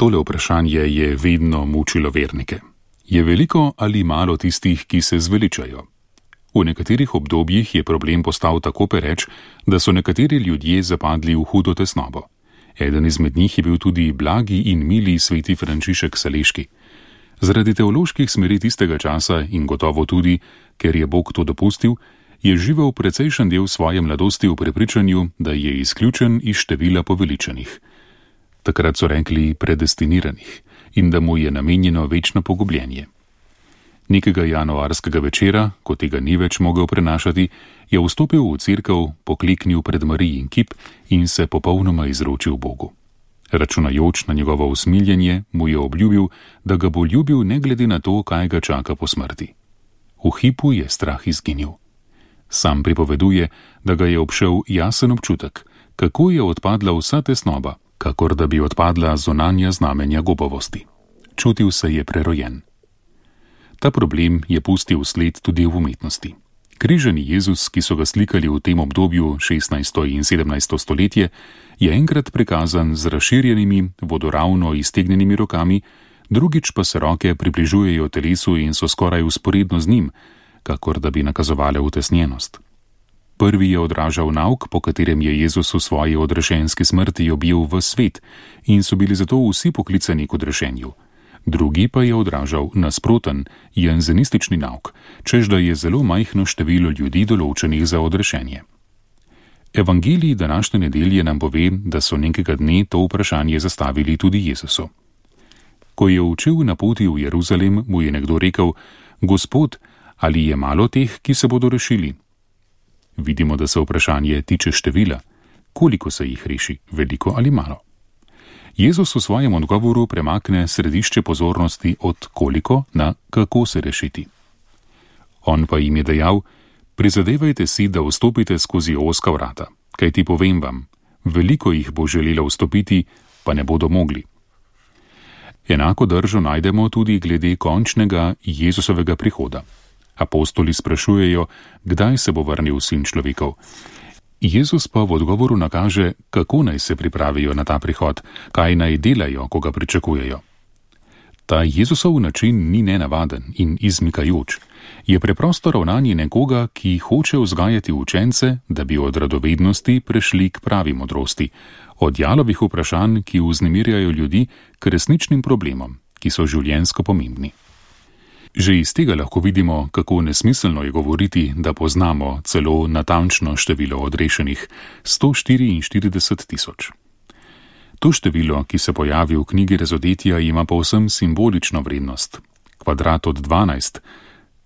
Tole vprašanje je vedno mučilo vernike. Je veliko ali malo tistih, ki se zveličajo? V nekaterih obdobjih je problem postal tako pereč, da so nekateri ljudje zapadli v hudo tesnobo. Eden izmed njih je bil tudi blagi in mili sveti Frančišek Saleški. Zaradi teoloških smeri tistega časa in gotovo tudi, ker je Bog to dopustil, je živel precejšen del svoje mladosti v prepričanju, da je izključen iz števila poveličanih. Takrat so rekli predestiniranih in da mu je namenjeno večno pogubljenje. Nekega januarskega večera, ko tega ni več mogel prenašati, je vstopil v cerkev, pokleknil pred Marijin kip in se popolnoma izročil Bogu. Računajoč na njegovo usmiljenje, mu je obljubil, da ga bo ljubil ne glede na to, kaj ga čaka po smrti. V hipu je strah izginil. Sam pripoveduje, da ga je obšel jasen občutek, kako je odpadla vsa tesnoba, kakor da bi odpadla zunanja znamenja gobavosti. Čutil se je prerojen. Ta problem je pustil sled tudi v umetnosti. Križani Jezus, ki so ga slikali v tem obdobju 16. in 17. stoletje, je enkrat prikazan z razširjenimi, vodoravno iztegnjenimi rokami, drugič pa se roke približujejo telesu in so skoraj vzporedno z njim, kakor da bi nakazovale utesnjenost. Prvi je odražal nauk, po katerem je Jezus v svoji odrešenski smrti objel v svet in so bili zato vsi poklicani k odrešenju. Drugi pa je odražal nasproten, janzenistični nauk, čež da je zelo majhno število ljudi določenih za odrešenje. Evangelij današnje nedelje nam pove, da so nekega dne to vprašanje zastavili tudi Jezusu. Ko je učil na poti v Jeruzalem, mu je nekdo rekel: Gospod, ali je malo teh, ki se bodo rešili? Vidimo, da se vprašanje tiče števila. Koliko se jih reši, veliko ali malo? Jezus v svojem odgovoru premakne središče pozornosti od koliko na kako se rešiti. On pa jim je dejal: prizadevajte si, da vstopite skozi ozka vrata, kajti povem vam, veliko jih bo želelo vstopiti, pa ne bodo mogli. Enako držo najdemo tudi glede končnega Jezusovega prihoda. Apostoli sprašujejo, kdaj se bo vrnil Sin človekov. Jezus pa v odgovoru nakaže, kako naj se pripravijo na ta prihod, kaj naj delajo, ko ga pričakujejo. Ta Jezusov način ni nenavaden in izmikajoč. Je preprosto ravnanje nekoga, ki hoče vzgajati učence, da bi od radovednosti prešli k pravi modrosti, od jalovih vprašanj, ki vznemirjajo ljudi, k resničnim problemom, ki so življenjsko pomembni. Že iz tega lahko vidimo, kako nesmiselno je govoriti, da poznamo celo natančno število odrešenih, 144 tisoč. To število, ki se pojavi v knjigi Razodetja, ima povsem simbolično vrednost. Kvadrat od 12,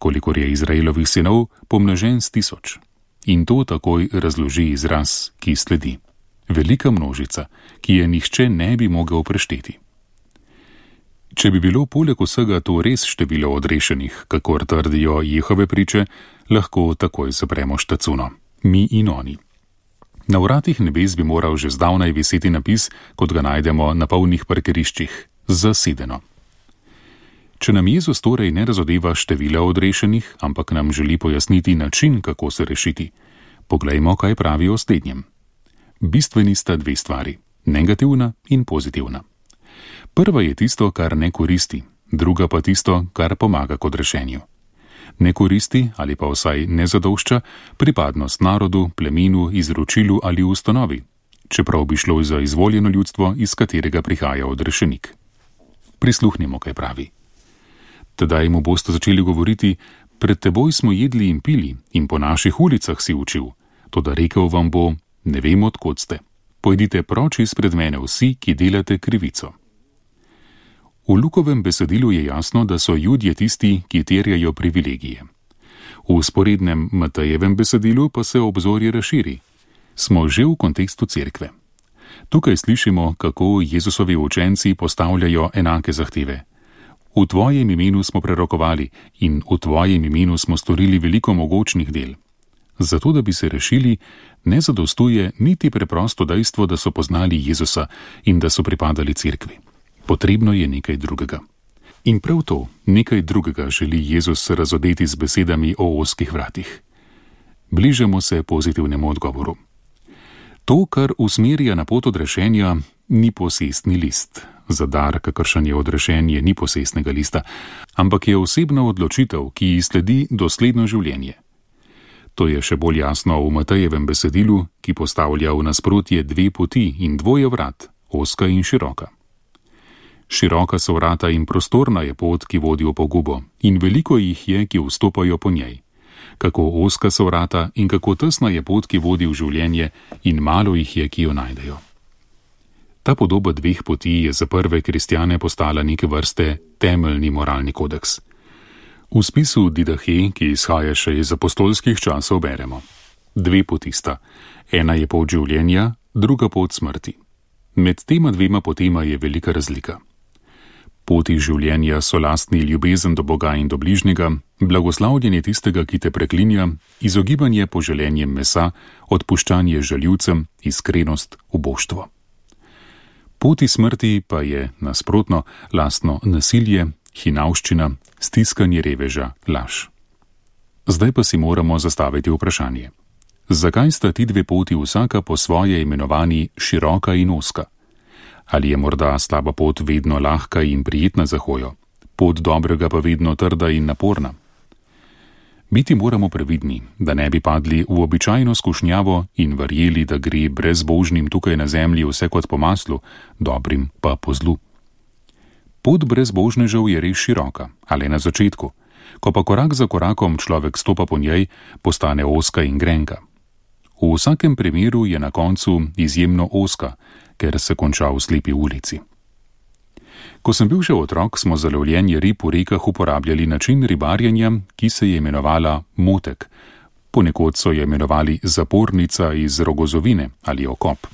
kolikor je Izraelovih sinov, pomnožen s 1000. In to takoj razloži izraz, ki sledi. Velika množica, ki je nihče ne bi mogel prešteti. Če bi bilo poleg vsega to res število odrešenih, kakor trdijo Jehove priče, lahko takoj zapremo štacuno. Mi in oni. Na vratih nebes bi moral že zdavnaj viseti napis, kot ga najdemo na polnih parkiriščih: zasedeno. Če nam Jezus torej ne razodeva števila odrešenih, ampak nam želi pojasniti način, kako se rešiti, poglejmo, kaj pravi o slednjem. Bistveni sta dve stvari, negativna in pozitivna. Prva je tisto, kar ne koristi, druga pa tisto, kar pomaga k odrešenju. Ne koristi ali pa vsaj ne zadošča pripadnost narodu, plemenu, izročilu ali ustanovi, čeprav bi šlo za izvoljeno ljudstvo, iz katerega prihaja odrešenik. Prisluhnimo, kaj pravi. Tedaj mu boste začeli govoriti: pred teboj smo jedli in pili in po naših ulicah si učil, toda rekel vam bo: ne vem, od kod ste. Pojdite proč izpred mene vsi, ki delate krivico. V Lukovem besedilu je jasno, da so Judje tisti, ki terjajo privilegije. V vzporednem Matejevem besedilu pa se obzorje razširi. Smo že v kontekstu cerkve. Tukaj slišimo, kako Jezusovi učenci postavljajo enake zahteve. V tvojem imenu smo prerokovali in v tvojem imenu smo storili veliko mogočnih del. Zato, da bi se rešili, ne zadostuje niti preprosto dejstvo, da so poznali Jezusa in da so pripadali cerkvi. Potrebno je nekaj drugega. In prav to, nekaj drugega, želi Jezus razodeti z besedami o ozkih vratih. Bližamo se pozitivnemu odgovoru. To, kar usmerja na pot odrešenja, ni posestni list. za dar, kakršen je odrešenje, ni posestnega lista, ampak je osebna odločitev, ki ji sledi dosledno življenje. To je še bolj jasno v Matejevem besedilu, ki postavlja v nasprotje dve poti in dvoje vrat, ozka in široka. Široka so vrata in prostorna je pot, ki vodi v pogubo, in veliko jih je, ki vstopajo po njej. Kako ozka so vrata in kako tesna je pot, ki vodi v življenje, in malo jih je, ki jo najdejo. Ta podoba dveh poti je za prve kristjane postala neke vrste temeljni moralni kodeks. V spisu Didahe, ki izhaja še iz apostolskih časov, beremo: dve poti sta, ena je pot življenja, druga pot smrti. Med tema dvema potema je velika razlika. Poti življenja so lastni ljubezen do Boga in do bližnjega, blagoslavljanje tistega, ki te preklinja, izogibanje poželenjem mesa, odpuščanje žaljivcem, iskrenost, uboštvo. Poti smrti pa je, nasprotno, lastno nasilje, hinavščina, stiskanje reveža, laž. Zdaj pa si moramo zastaviti vprašanje. Zakaj sta ti dve poti vsaka po svoje imenovani široka in ozka? Ali je morda slaba pot vedno lahka in prijetna za hojo, pot dobrega pa vedno trda in naporna? Biti moramo previdni, da ne bi padli v običajno skušnjavo in verjeli, da gre brezbožnim tukaj na zemlji vse kot po maslu, dobrim pa po zlu. Pot brezbožnežev je res široka, ali na začetku, ko pa korak za korakom človek stopa po njej, postane ozka in grenka. V vsakem primeru je na koncu izjemno ozka, ker se konča v slepi ulici. Ko sem bil še otrok, smo za lovljenje rib v rekah uporabljali način ribarjenja, ki se je imenovala motek. Ponekod so jo imenovali zapornica iz rogozovine ali okop.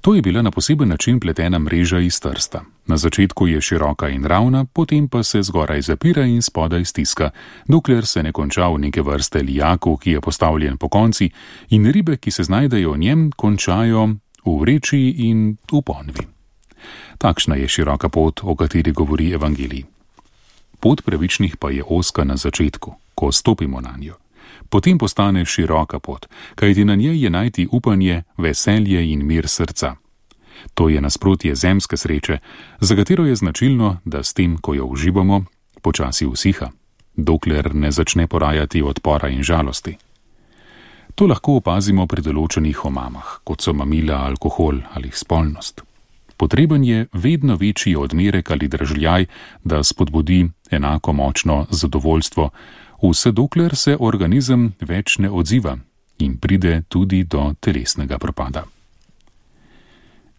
To je bila na poseben način pletena mreža iz trsta. Na začetku je široka in ravna, potem pa se zgoraj zapira in spodaj stiska, dokler se ne konča v neke vrste lijaku, ki je postavljen po konci, in ribe, ki se znajdejo v njem, končajo v vreči in v ponvi. Takšna je široka pot, o kateri govori evangelij. Pot pravičnih pa je ozka na začetku, ko stopimo na njo. Potem postane široka pot, kajti na njej je najti upanje, veselje in mir srca. To je nasprotje zemske sreče, za katero je značilno, da s tem, ko jo uživamo, počasi usiha, dokler ne začne porajati odpora in žalosti. To lahko opazimo pri določenih omamah, kot so mamila, alkohol ali spolnost. Potreben je vedno večji odmerek ali držljaj, da spodbudi enako močno zadovoljstvo, vse dokler se organizem več ne odziva in pride tudi do telesnega propada.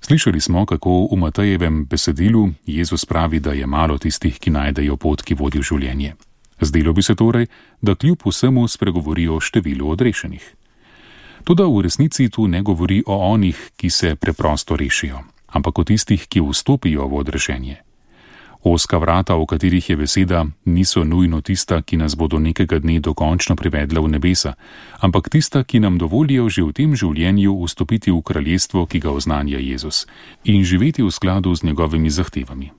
Slišali smo, kako v Matejevem besedilu Jezus pravi, da je malo tistih, ki najdejo pot, ki vodi v življenje. Zdelo bi se torej, da kljub vsemu spregovori o številu odrešenih. Toda v resnici tu ne govori o onih, ki se preprosto rešijo, ampak o tistih, ki vstopijo v odrešenje. Ozka vrata, o katerih je beseda, niso nujno tista, ki nas bodo nekega dne dokončno privedla v nebesa, ampak tista, ki nam dovolijo že v tem življenju vstopiti v kraljestvo, ki ga oznanja Jezus, in živeti v skladu z njegovimi zahtevami.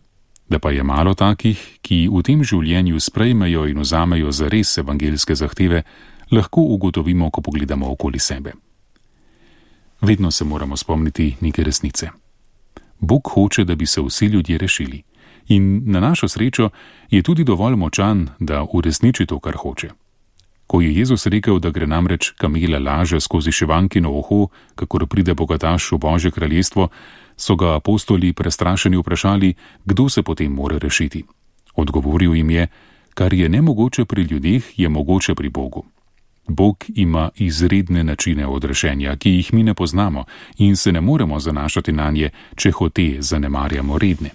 Da pa je malo takih, ki v tem življenju sprejmejo in vzamejo zares evangeljske zahteve, lahko ugotovimo, ko pogledamo okoli sebe. Vedno se moramo spomniti neke resnice. Bog hoče, da bi se vsi ljudje rešili. In na našo srečo je tudi dovolj močan, da uresniči to, kar hoče. Ko je Jezus rekel, da gre namreč kamela laže skozi šivankino uho, kakor pride bogataš v Božje kraljestvo, so ga apostoli prestrašeni vprašali, kdo se potem mora rešiti. Odgovoril jim je, kar je nemogoče pri ljudeh, je mogoče pri Bogu. Bog ima izredne načine odrešenja, ki jih mi ne poznamo in se ne moremo zanašati nanje, če hote zanemarjamo redne.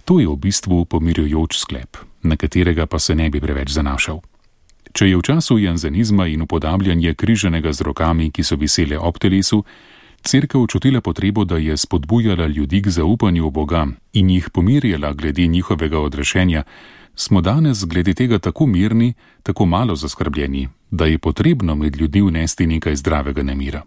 To je v bistvu pomirjujoč sklep, na katerega pa se ne bi preveč zanašal. Če je v času janzenizma in upodabljanje križanega z rokami, ki so visele ob telesu, Cerkev čutila potrebo, da je spodbujala ljudi k zaupanju v Boga in jih pomirjala glede njihovega odrešenja, smo danes glede tega tako mirni, tako malo zaskrbljeni, da je potrebno med ljudi vnesti nekaj zdravega nemira.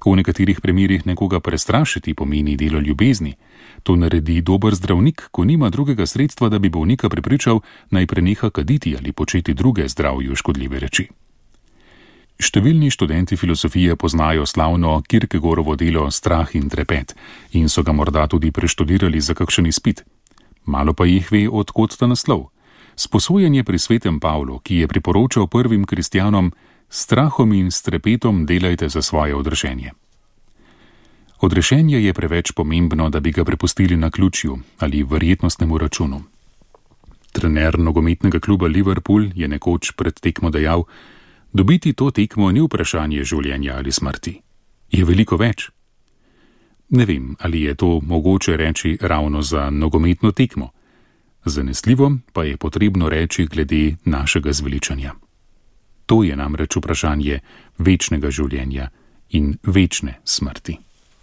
V nekaterih primerih nekoga prestrašiti pomeni delo ljubezni. To naredi dober zdravnik, ko nima drugega sredstva, da bi bolnika prepričal, naj preneha kaditi ali početi druge zdravju škodljive reči. Številni študenti filozofije poznajo slavno Kierkegaardovo delo Strah in trepet in so ga morda tudi preštudirali za kakšen izpit. Malo pa jih ve, od kod ta naslov. Sposojenje pri svetem Pavlu, ki je priporočal prvim kristjanom: strahom in s trepetom delajte za svoje odrešenje. Odrešenje je preveč pomembno, da bi ga prepustili naključju ali verjetnostnemu računu. Trener nogometnega kluba Liverpool je nekoč pred tekmo dejal: dobiti to tekmo ni vprašanje življenja ali smrti. Je veliko več. Ne vem, ali je to mogoče reči ravno za nogometno tekmo. Zanesljivo pa je potrebno reči glede našega zveličanja. To je namreč vprašanje večnega življenja in večne smrti.